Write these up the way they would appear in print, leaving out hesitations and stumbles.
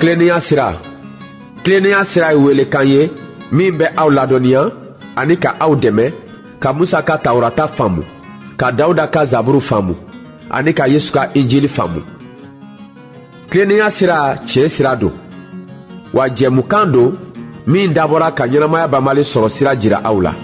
Tilennenya sira, tilennenya sira ye welekan ye min bɛ aw ladɔnniya ani ka aw dɛmɛ ka Musa ka Tawurata faamu, ka Dawuda ka Zaburu faamu ani ka Yesu ka Injili faamu. Tilennenya sira tiɲɛ sira don, wa jɛmukan don min dabɔra ka ɲɛnamaya banbali sɔrɔ sira jira aw la.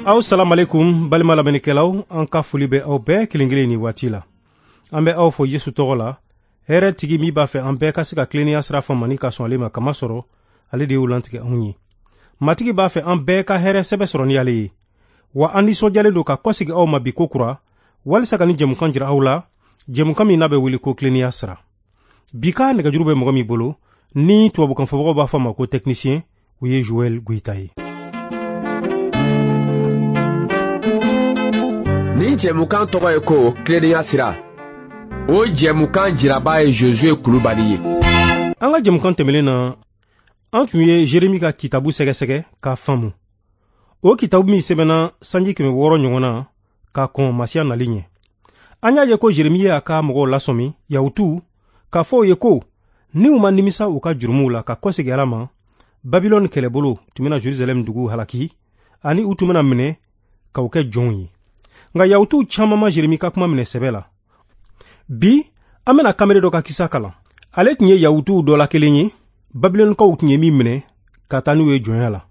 Aw salamalekun balima lamɛnnikɛlaw, an ka foli bɛ aw bɛɛ kelen kelen ni waati la. An bɛ aw fo Yesu tɔgɔ la, hɛrɛ tigi min b'a fɛ an bɛɛ ka se ka tilennenya sira faamu ani ka sɔn ale ma, kamasɔrɔ ale de y'o lantigɛ anw ye. Matigi b'a fɛ an bɛɛ ka hɛrɛ sɛbɛ sɔrɔ ni ale ye. Wa an nisɔndiyalen don ka kɔsegi aw ma bi ko kura, walisa ka ni jɛmukan jira aw la, jɛmukan min n'a bɛ wele ko tilennenya sira. Bi ka nɛgɛjuru bɛ mɔgɔ min bolo, ni tubabukan fɔbagaw b'a fɔ a ma ko technicien, o ye Joël Goïta ye. Nin jɛmukan tɔgɔ ye ko tilennenya sira. O jɛmukan jiraba ye Josué Kulubali ye. An ka jɛmukan tɛmɛnen na, an tun ye Jeremi ka kitabu sɛgɛsɛgɛ k'a faamu. O kitabu min sɛbɛnna sanji 600 ɲɔgɔn na ka kɔn Masiya nali ɲɛ. An y'a ye ko Jeremi y'a ka mɔgɔw lasɔmi, Yahutuw, k'a fɔ u ye ko ni u ma nimisa u ka jurumuw la ka kɔsegin Ala ma, Babilɔni kɛlɛbolo tun bɛna Jerusalɛm dugu halaki ani u tun bɛna minɛ k'u kɛ jɔnw ye. Nka Yahutuw caman ma Jeremi ka kuma minɛ sɛbɛ la. Bi, an bɛna kamalen dɔ ka kisa kalan. Ale tun ye Yahutuw dɔ la kelen ye, Babilɔnikaw tun ye min minɛ ka taa n'u ye jɔnya la.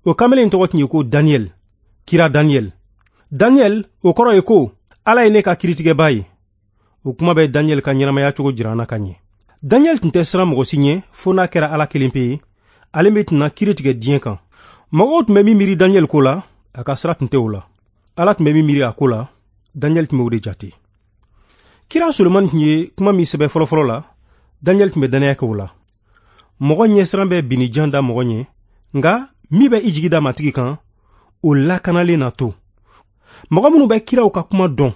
O kamalen tɔgɔ tun ye ko Daniel, kira Daniel. Daniel, o kɔrɔ ye ko Ala ye ne ka kiritigɛba ye. O kuma bɛ Daniel ka ɲɛnamaya cogo jira an na ka ɲɛ. Daniel tun tɛ siran mɔgɔ si ɲɛ fo n'a kɛra Ala kelen pe ye, ale min tɛna kiri tigɛ diɲɛ kan. Mɔgɔw tun bɛ min miiri Daniel ko la, a ka sira tun tɛ o la. Ala tun bɛ min miiri a ko la, Daniel tun bɛ o de jate. Kira Solomani tun ye kuma min sɛbɛn fɔlɔfɔlɔ la, Daniel tun bɛ dannaya kɛ o la. Mɔgɔ ɲɛsiran bɛ binnijan da mɔgɔ ɲɛ, nka min bɛ i jigi da Matigi kan, o lakanalen na to. Mɔgɔ minnu bɛ kiraw ka kuma dɔn,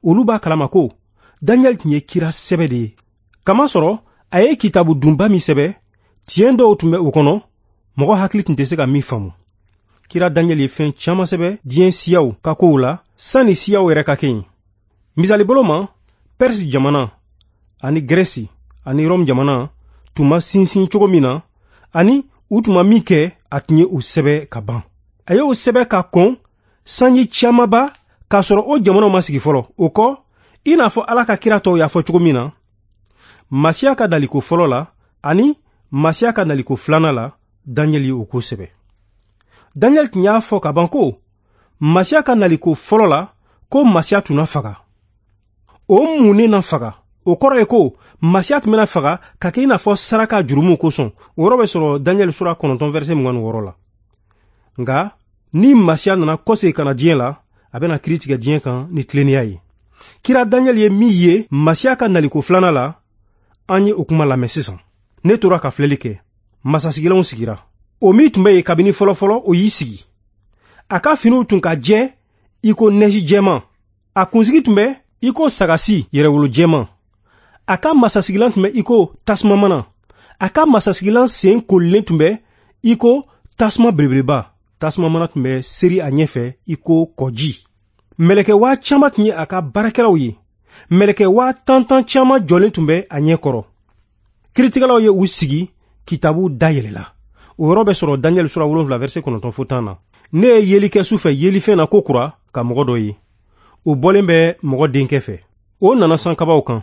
olu b'a kalama ko Daniel tun ye kira sɛbɛ de ye. Kamasɔrɔ a ye kitabu dunba min sɛbɛ, tiɲɛ dɔw tun bɛ o kɔnɔ, mɔgɔ hakili tun tɛ se ka min faamu. Kira Daniel ye fɛn caman sɛbɛ diɲɛ siyaw ka kow la, sanni siyaw yɛrɛ ka kɛ yen. Misali bolo ma, Perse jamana ani Grɛsi ani Rɔmu jamana tun ma sinsin cogo min na, ani u tun ma min kɛ, a tun ye o sɛbɛ ka ban. A y'o sɛbɛ ka kɔn sanji camanba k'a sɔrɔ o jamanaw ma sigi fɔlɔ. O kɔ, i n'a fɔ Ala ka kira tɔw y'a fɔ cogo min na, Masiya ka naliko fɔlɔ la ani Masiya ka naliko filanan la, Daniel ye o ko sɛbɛ. Daniel tun y'a fɔ ka ban ko Masiya ka naliko fɔlɔ la, ko Masiya tun na faga. O mun ne na faga? O kɔrɔ ye ko Masiya tun bɛna faga ka kɛ i n'a fɔ saraka jurumuw kosɔn. O yɔrɔ bɛ sɔrɔ Daniel sura 9 verset 26 la. Nka ni Masiya nana kɔsegin ka na diɲɛ la, a bɛna kiri tigɛ diɲɛ kan ni tilennenya ye. Kira Daniel ye min ye Masiya ka naliko filanan la, an ye o kuma lamɛn sisan. Ne tora ka filɛli kɛ. Masasigilanw sigira. O min tun bɛ yen kabini fɔlɔfɔlɔ, o y'i sigi. A ka finiw tun ka jɛ i ko nɛji jɛman. A kunsigi tun bɛ i ko sagasi yɛrɛwolo jɛman. A ka masasigilan tun bɛ i ko tasuma mana. A ka masasigilan sen kolilen tun bɛ i ko tasuma belebeleba. Tasuma mana tun bɛ seri a ɲɛfɛ i ko kɔji. Mɛlɛkɛ 5000 tun ye a ka baarakɛlaw ye. Mɛlɛkɛ 10,000 caman jɔlen tun bɛ a ɲɛ kɔrɔ. Kiritigɛlaw ye u sigi, kitabu dayɛlɛla. O yɔrɔ bɛ sɔrɔ Daniel sura 7 verset 9 fo 10 na. Ne ye yeli kɛ su fɛ yelifɛn na ko kura ka mɔgɔ dɔ ye. O bɔlen bɛ mɔgɔ denkɛ fɛ. O nana sankabaw kan.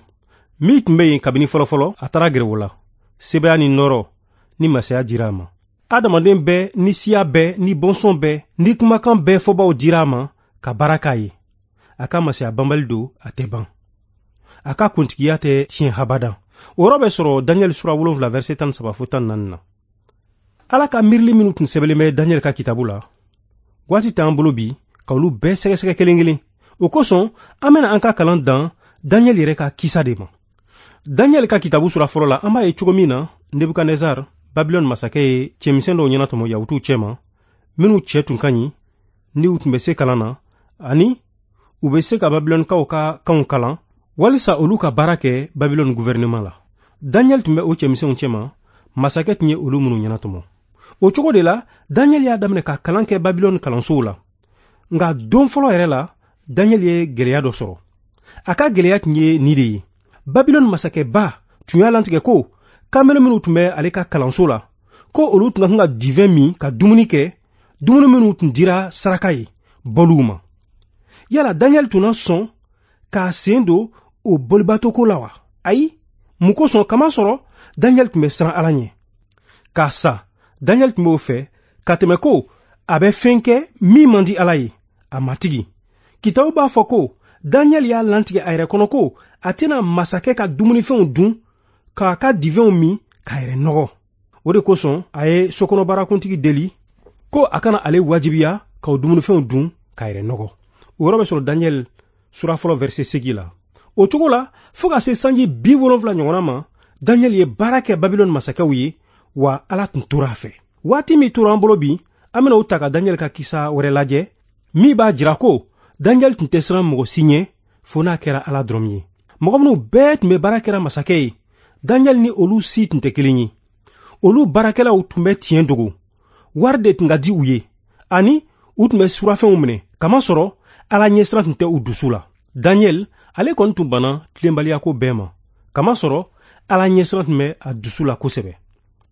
Min tun bɛ yen kabini fɔlɔfɔlɔ, a taara gɛrɛ o la. Sebaya ni nɔɔrɔ ni masaya dira a ma. Adamaden bɛɛ ni siya bɛɛ ni bɔnsɔn bɛɛ ni kumakan bɛɛ fɔbaw dira a ma ka baara k'a ye. A ka masaya banbali don, a tɛ ban. A ka kuntigiya tɛ tiɲɛ habada. O yɔrɔ bɛ sɔrɔ Daniel sura 7 verset 13 fo 14 na. Ala ka miirili minnu tun sɛbɛnlen bɛ Daniel ka kitabu la, waati t'an bolo bi ka olu bɛɛ sɛgɛsɛgɛ kelen kelen. O kosɔn, an bɛna an ka kalan dan Daniel yɛrɛ ka kisa de ma. Daniel ka kitabu sura fɔlɔ la, an b'a ye cogo min na Nebukadnezar, Babilɔni masakɛ ye cɛmisɛn dɔw ɲɛnatɔmɔ Yahutuw cɛma, minnu cɛ tun ka ɲi, ni u tun bɛ se kalan na, ani u bɛ se ka Babilɔnikaw ka kanw kalan, walisa olu ka baara kɛ Babilɔni gouvernement la. Daniel tun bɛ o cɛmisɛnw cɛma, masakɛ tun ye olu minnu ɲɛnatɔmɔ. O cogo de la, Daniel y'a daminɛ ka kalan kɛ Babilɔni kalansow la. Nka don fɔlɔ yɛrɛ la, Daniel ye gɛlɛya dɔ sɔrɔ. A ka gɛlɛya tun ye nin de ye. Babilɔni masakɛba tun y'a lantigɛ ko kamalen minnu tun bɛ ale ka kalanso la, ko olu tun ka kan ka divɛn min ka dumuni kɛ, dumuni minnu tun dira saraka ye bɔliw ma. Yala Daniel tun na sɔn k'a sen don o bolibatoko la wa? Ayi, mun kosɔn? Kamasɔrɔ Daniel tun bɛ siran Ala ɲɛ. K'a sa, Daniel tun b'o fɛ ka tɛmɛ ko a bɛ fɛn kɛ min man di Ala ye, a matigi. Kitabu b'a fɔ ko Daniel y'a lantigɛ a yɛrɛ kɔnɔ ko a tɛna masakɛ ka dumunifɛnw dun, k'a ka divɛnw min, k'a yɛrɛ nɔgɔ. O de kosɔn a ye sokɔnɔbaarakuntigi deli ko a kana ale wajibiya k'o dumunifɛnw dun k'a yɛrɛ nɔgɔ. O yɔrɔ bɛ sɔrɔ Daniel sura fɔlɔ verset 8 la. O cogo la, fo ka se sanji 70 ɲɔgɔnna ma, Daniel ye baara kɛ Babilɔni masakɛw ye, wa Ala tun tora a fɛ. Waati min tora an bolo bi, an bɛna o ta ka Daniel ka kisa wɛrɛ lajɛ, min b'a jira ko Daniel tun tɛ siran mɔgɔ si ɲɛ, fo n'a kɛra Ala dɔrɔn ye. Mɔgɔ minnu bɛɛ tun bɛ baara kɛra masakɛ ye, Daniel ni olu si tun tɛ kelen ye. Olu baarakɛlaw tun bɛ tiɲɛ dogo, wari de tun ka di u ye, ani u tun bɛ surafɛnw minɛ, kamasɔrɔ Ala ɲɛsiran tun tɛ u dusu la. Daniel, ale kɔni tun banna tilenbaliyako bɛɛ ma, kamasɔrɔ Ala ɲɛsiran tun bɛ a dusu la kosɛbɛ.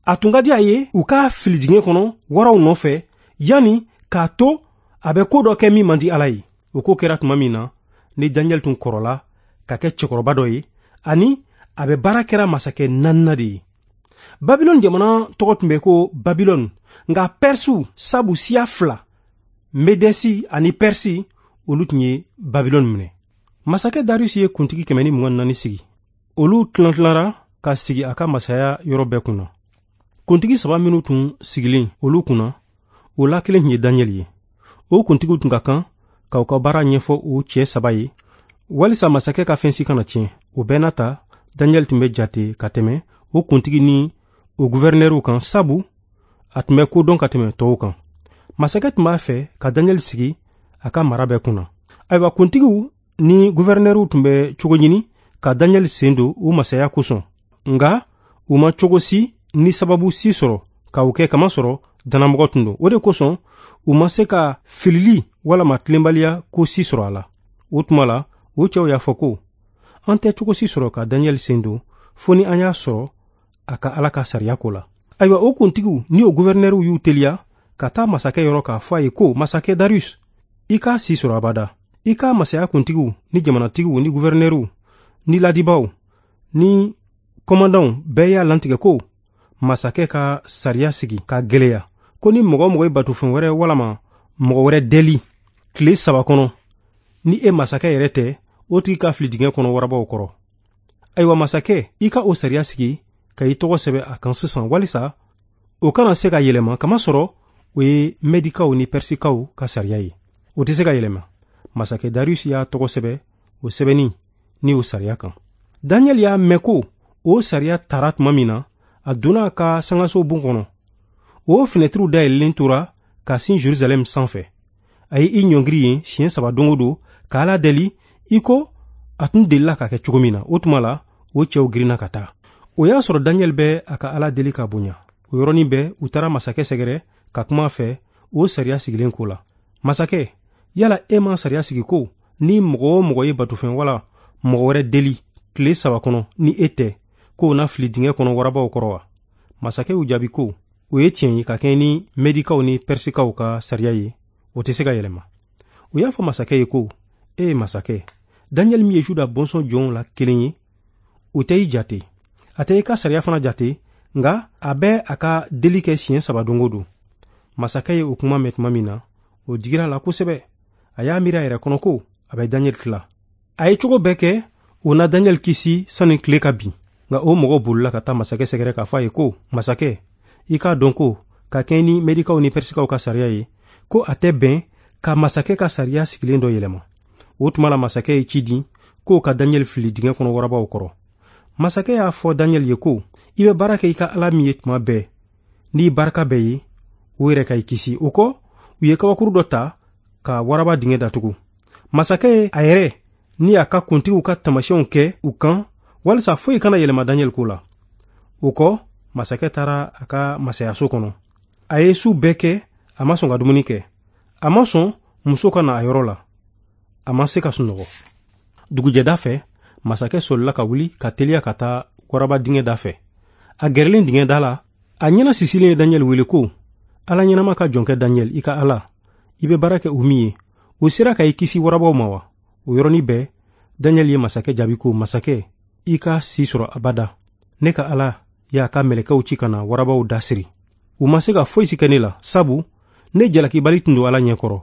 A tun ka di a ye u k'a fili dingɛ kɔnɔ waraw nɔfɛ, yanni k'a to a bɛ ko dɔ kɛ min man di Ala ye. O ko kɛra tuma min na, ni Daniel tun kɔrɔla ka kɛ cɛkɔrɔba dɔ ye, ani a bɛ baara kɛra masakɛ naaninan de ye. Babilɔni jamana tɔgɔ tun bɛ ko Babilɔni, nka Pɛrisiw sabu siya fila, Medɛsi ani Pɛrisi, olu tun ye Babilɔni minɛ. Masakɛ Darius ye kuntigi 124 sigi. Olu tilantilara ka sigi a ka masaya yɔrɔ bɛɛ kunna. Kuntigi saba minnu tun sigilen olu kunna, o la kelen tun ye Daniel ye. O kuntigiw tun ka kan k'aw ka baara ɲɛfɔ o cɛ saba ye, walisa masakɛ ka fɛn si kana tiɲɛ. O bɛɛ n'a ta, Daniel tun bɛ jate ka tɛmɛ o kuntigi ni o guvɛrinɛriw kan, sabu a tun bɛ ko dɔn ka tɛmɛ tɔw kan. Masakɛ tun b'a fɛ ka Daniel sigi a ka mara bɛɛ kunna. Ayiwa, kuntigiw ni guvɛrinɛriw tun bɛ cogo ɲini ka Daniel sen don u masaya kosɔn, nka u ma cogo si ni sababu si sɔrɔ ka o kɛ, kamasɔrɔ dannamɔgɔ tun don. O de kosɔn u ma se ka filili walama tilenbaliya ko si sɔrɔ a la. O tuma la, o cɛw y'a fɔ ko an tɛ cogo si sɔrɔ ka Daniel sen don fo ni an y'a sɔrɔ a ka Ala ka sariya ko la. Ayiwa, o kuntigiw ni o guvɛrinɛriw y'u teliya ka taa masakɛ yɔrɔ k'a fɔ a ye ko masakɛ Darius, i k'a si sɔrɔ abada. I ka masaya kuntigiw ni jamanatigiw ni guvɛrinɛriw ni ladibaw ni kɔmandanw bɛɛ y'a lantigɛ ko masakɛ ka sariya sigi ka gwɛlɛya, ko ni mɔgɔ o mɔgɔ ye batofɛn wɛrɛ walama mɔgɔ wɛrɛ deli tile 3 kɔnɔ, ni e masakɛ yɛrɛ tɛ, o tigi ka fili dingɛ kɔnɔ warabaw kɔrɔ. Ayiwa masakɛ, i ka o sariya sigi ka i tɔgɔ sɛbɛ a kan sisan, walisa o kana se ka yɛlɛma, kamasɔrɔ o ye Mɛdikaw ni Pɛrisikaw ka sariya ye, o tɛ se ka yɛlɛma. Masakɛ Darius y'a tɔgɔ sɛbɛ o sɛbɛnni ni o sariya kan. Daniel y'a mɛn ko o sariya tara tuma min na, a donna a ka sangaso bon kɔnɔ. O finɛtiriw dayɛlɛlen tora ka sin Jerusalɛm sanfɛ. A ye i ɲɔngiri yen siɲɛ 3 don o don ka Ala deli i ko a tun delila ka kɛ cogo min na. O tuma la, o cɛw girinna ka taa. O y'a sɔrɔ Daniel bɛ a ka Ala deli ka bonya. O yɔrɔnin bɛɛ, u taara masakɛ sɛgɛrɛ ka kuma a fɛ o sariya sigilen ko la. Masakɛ, yala e ma sariya sigi ko ni mɔgɔ o mɔgɔ ye batofɛn wala mɔgɔ wɛrɛ deli tile 3 kɔnɔ ni e tɛ, k'o na fili dingɛ kɔnɔ warabaw kɔrɔ wa? Masakɛ y'u jaabi ko o ye tiɲɛ ye ka kɛɲɛ ni Mɛdikaw ni Pɛrisikaw ka sariya ye, o tɛ se ka yɛlɛma. U y'a fɔ masakɛ ye ko e ye masakɛ, Daniel min ye Juda bɔnsɔn jɔnw la kelen ye, o tɛ i jate, a tɛ i ka sariya fana jate, nka a bɛ a ka deli kɛ siɲɛ 3 don o don. Masakɛ ye o kuma mɛn tuma min na, o digira a la kosɛbɛ. A y'a miiri a yɛrɛ kɔnɔ ko a bɛ Daniel tila. A ye cogo bɛɛ kɛ o na Daniel kisi sani tile ka bin. Nka o mɔgɔw bolila ka taa masakɛ sɛgɛrɛ k'a fɔ a ye ko masakɛ, i k'a dɔn ko ka kɛɲɛ ni Mɛdikaw ni Pɛrisikaw ka sariya ye, ko a tɛ bɛn ka masakɛ ka sariya sigilen dɔ yɛlɛma. O tuma la, masakɛ ye ci di k'o ka Daniel fili dingɛ kɔnɔ warabaw kɔrɔ. Masakɛ y'a fɔ Daniel ye ko i bɛ baara kɛ i ka Ala min ye tuma bɛɛ n'i barika bɛɛ ye, o yɛrɛ ka i kisi. O kɔ, u ye kabakuru dɔ ta ka waraba dingɛ datugu. Masakɛ ye a yɛrɛ ni a ka kuntigiw ka taamasiyɛnw kɛ u kan walisa foyi kana yɛlɛma Daniel ko la. O kɔ, masakɛ taara a ka masayaso kɔnɔ. A ye su bɛɛ kɛ, a ma sɔn ka dumuni kɛ, a ma sɔn muso ka na a yɔrɔ la, a ma se ka sunɔgɔ. Dugujɛda fɛ, masakɛ solila ka wuli ka teliya ka taa waraba dingɛ da fɛ. A gɛrɛlen dingɛ da la, a ɲɛna sisilen ye Daniyɛli wele ko, Ala ɲɛnama ka jɔnkɛ Daniyɛli, i ka Ala, i bɛ baara kɛ o min ye, o sera ka i kisi warabaw ma wa? O yɔrɔnin bɛɛ, Daniyɛli ye masakɛ jaabi ko, masakɛ, i ka si sɔrɔ abada. Ne ka Ala y'a ka mɛlɛkɛw ci ka na warabaw da siri. U ma se ka foyi si kɛ ne la, sabu ne jalakibali tun don Ala ɲɛkɔrɔ.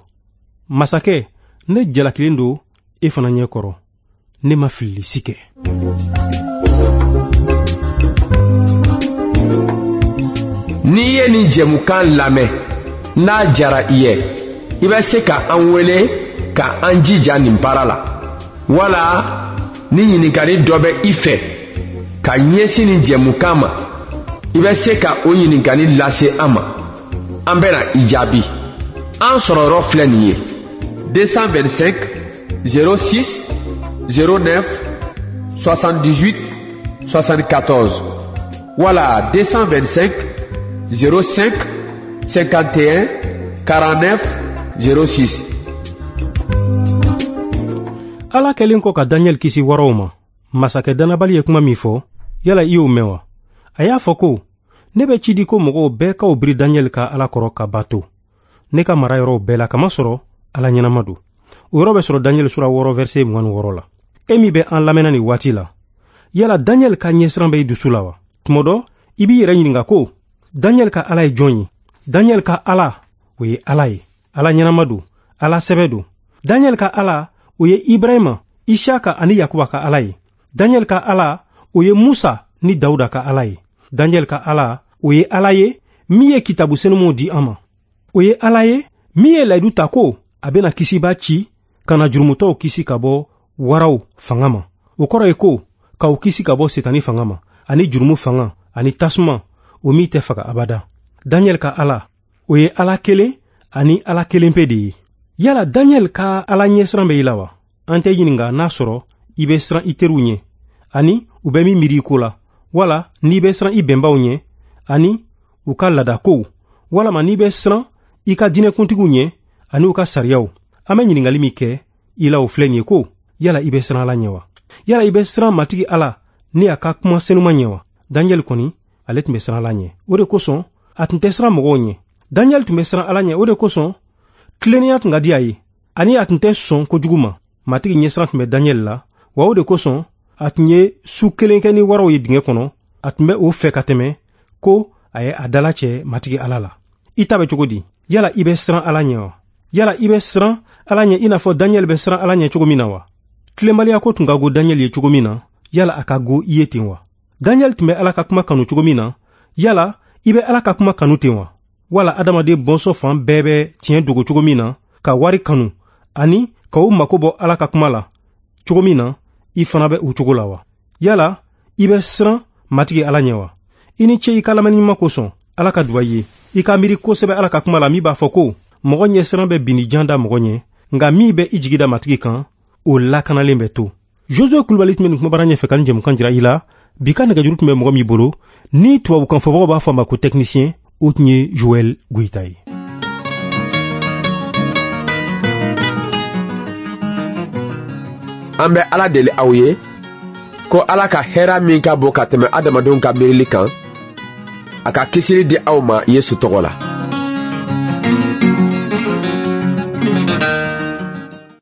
Masakɛ, ne jalakilen don e fana ɲɛkɔrɔ. Ne ma filili si kɛ. N'i ye nin jɛmukan lamɛn, n'a jara i ye, i bɛ se ka an wele ka an jija nin baara la. Wala ni ɲininkali dɔ bɛ i fɛ ka ɲɛsin nin jɛmukan ma, i bɛ se ka o ɲininkali lase an ma. An bɛna i jaabi. An sɔrɔyɔrɔ filɛ nin ye: 225 06 09 78 74 wala 225 05 51 49 06. Ala kɛlen kɔ ka Daniyɛli kisi waraw ma, masakɛ dannabali ye kuma min fɔ, yala i y'o mɛn wa? A y'a fɔ ko, ne bɛ ci di ko mɔgɔw bɛɛ k'aw biri Daniyɛli ka Ala kɔrɔ ka bato. Ne ka mara yɔrɔw bɛɛ la, kamasɔrɔ Ala ɲɛnama don. O yɔrɔ bɛ sɔrɔ Daniyɛli sura 6 verset 26 la. E min bɛ an lamɛnna nin waati la, yala Daniyɛli ka ɲɛsiran bɛ i dusu la wa? Tuma dɔ, i b'i yɛrɛ ɲininka ko, Daniyɛli ka Ala ye jɔn ye? Daniyɛli ka Ala, o ye Ala ye. Ala ɲɛnama don, Ala sɛbɛ don. Daniyɛli ka Ala, o ye Ibrahima, Isaka ani Yakuba ka Ala ye. Daniyɛli ka Ala, o ye Musa ni Dawuda ka Ala ye. Daniyɛli ka Ala, o ye Ala ye min ye kitabu senumanw di an ma. O ye Ala ye min ye layidu ta ko a bɛna kisiba ci ka na jurumutɔw kisi ka bɔ waraw fanga ma. O kɔrɔ ye ko k'aw kisi ka bɔ setani fanga ma, ani jurumu fanga, ani tasuma, o min tɛ faga abada. Daniyɛli ka Ala, o ye Ala kelen ani Ala kelen pe de ye. Yala Daniyɛli ka Ala ɲɛsiran bɛ i la wa? An tɛ ɲininka n'a sɔrɔ i bɛ siran i teriw ɲɛ, ani u bɛ min miiri i ko la, wala n'i bɛ siran i bɛnbaw ɲɛ, ani u ka laadakow, walama n'i bɛ siran i ka diinɛkuntigiw ɲɛ, ani u ka sariyaw. An bɛ ɲininkali min kɛ i la o filɛ nin ye ko, yala i bɛ siran Ala ɲɛ wa? Yala i bɛ siran Matigi Ala ni a ka kuma senuman ɲɛ wa? Daniyɛli kɔni, ale tun bɛ siran Ala ɲɛ. O de kosɔn, a tun tɛ siran mɔgɔw ɲɛ. Daniyɛli tun bɛ siran Ala ɲɛ. O de kosɔn, tilennenya tun ka di a ye, ani a tun tɛ sɔn kojugu ma. Matigi ɲɛsiran tun bɛ Daniyɛli la, wa o de kosɔn, a tun ye su kelen kɛ ni waraw ye dingɛ kɔnɔ. A tun bɛ o fɛ ka tɛmɛ ko a ye a dala cɛ Matigi Ala la. I ta bɛ cogo di? Yala i bɛ siran Ala ɲɛ wa? Yala i bɛ siran Ala ɲɛ i n'a fɔ Daniyɛli bɛ siran Ala ɲɛ cogo min na wa? Tilenbaliya ko tun ka go Daniyɛli ye cogo min na, yala a ka go i ye ten wa? Daniyɛli tun bɛ Ala ka kuma kanu cogo min na, yala i bɛ Ala ka kuma kanu ten wa? Wala adamaden bɔnsɔn fan bɛɛ bɛ tiɲɛ dogo cogo min na, ka wari kanu ani ka u mako bɔ Ala ka kuma la cogo min na, i fana bɛ o cogo la wa? Yala i bɛ siran Matigi Ala ɲɛ wa? I ni ce i ka lamɛnni ɲuman kosɔn. Ala ka duba i ye. I ka miiri kosɛbɛ Ala ka kuma la min b'a fɔ ko, mɔgɔ ɲɛsiran bɛ binni jan da mɔgɔ ɲɛ, nka min bɛ i jigi da Matigi kan, o lakanalen bɛ to. Josue Kulubali tun bɛ nin kumabara ɲɛfɛ ka nin jɛmukan jira i la. Bi ka nɛgɛjuru tun bɛ mɔgɔ min bolo, ni tubabukan fɔbagaw b'a fɔ a ma ko technicien, o tun ye Joël Goyita ye. An bɛ Ala deli aw ye ko Ala ka hɛra min ka bon ka tɛmɛ adamadenw ka miirili kan, a ka kisili di aw ma Yesu tɔgɔ la.